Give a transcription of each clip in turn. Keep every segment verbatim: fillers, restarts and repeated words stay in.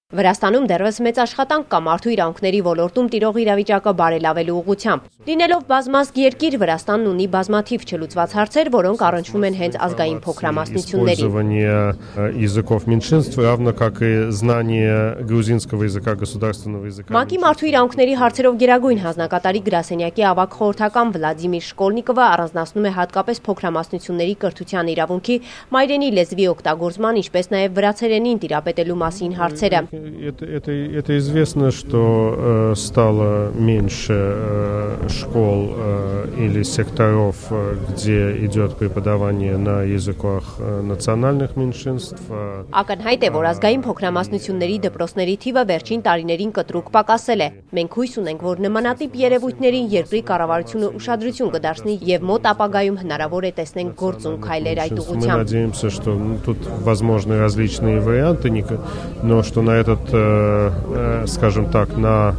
Վրաստանում դեռևս մեծ աշխատանք կա մարդու իրավունքների ոլորտում տիրող իրավիճակը բարելավելու ուղղությամբ։ Լինելով բազմազգ երկիր, Վրաստանն ունի բազմաթիվ չլուծված հարցեր, որոնք առնչվում են հենց ազգային փոքրամասնություններին։ ՄԱԿ-ի մարդու իրավունքների հարցերով գերագույն հանձնակատարի գրասենյակի ավագ խորհրդական Վլադիմիր Շկոլնիկովը առանձնացնում է հատկապես փոքրամասնությունների կրթության իրավունքի, մայրենի լեզվի օգտագործման, ինչպես նաև վրացերենին տիրապետելու մասին հարցերը։ Это, это, это известно, что э, стало меньше э, школ э, или секторов, где идет преподавание на языках э, национальных меньшинств. Ակնհայտ է, որ ազգային փոքրամասնությունների դպրոցների թիվը վերջին տարիներին կտրուկ պակասել է։ Մենք հույս ունենք, որ նմանատիպ երևույթներին երկրի կառավարությունը ուշադրություն կդարձնի եւ մոտ ապագայում հնարավոր է տեսնենք գործուն քայլեր այդ ուղղությամբ։ Мы надеемся, что ну, тут возможны различные варианты, но что на этот, скажем так, на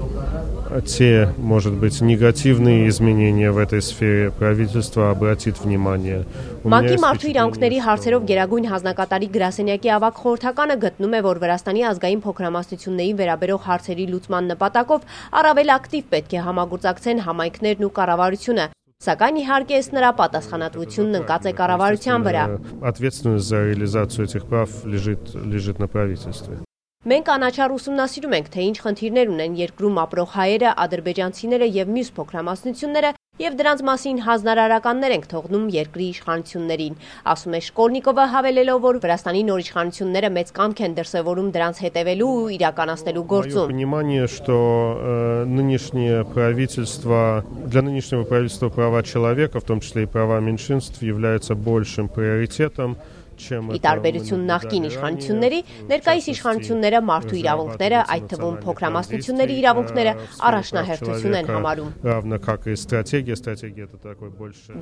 те, может быть, негативные изменения в этой сфере правительство обратит внимание. ՄԱԿ-ի մարդու իրավունքների հարցերով գերագույն հանձնակատարի գրասենյակի ավագ խորհրդականը գտնում է, որ Վրաստանի ազգային փոքրամասնություններին վերաբերող հարցերի լուծման նպատակով առավել ակտիվ պետք է համագործակցեն համայնքներն ու կառավարությունը։ Սակայն իհարկե ըստ նրա պատասխանատվությունն ընկած է կառավարության վրա։ Ответственность за реализацию этих прав лежит лежит на правительстве. Մենք անաչառ ուսումնասիրում ենք, թե ինչ խնդիրներ ունեն երկրում ապրող հայերը, ադրբեջանցիները եւ մյուս փոքրամասնությունները եւ դրանց մասին հանձնարարականներ ենք թողնում երկրի իշխանություններին, ասում է Շկոլնիկովը, հավելելով, որ Վրաստանի նոր իշխանությունները մեծ կամք են դրսևորում դրանց հետևելու ու իրականացնելու գործում։ Понимание, что э, нынешнее правительство, для нынешнего правительства права человека, в том числе и права меньшинств, являются большим приоритетом. Ի տարբերություն նախկին իշխանությունների, ներկայիս իշխանությունները մարդու իրավունքները, այդ թվում փոքրամասնությունների իրավունքները առաջնահերթություն են համարում։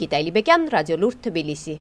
Գիտալի Բեկյան, Ռադիոլուրդ, Թբիլիսի։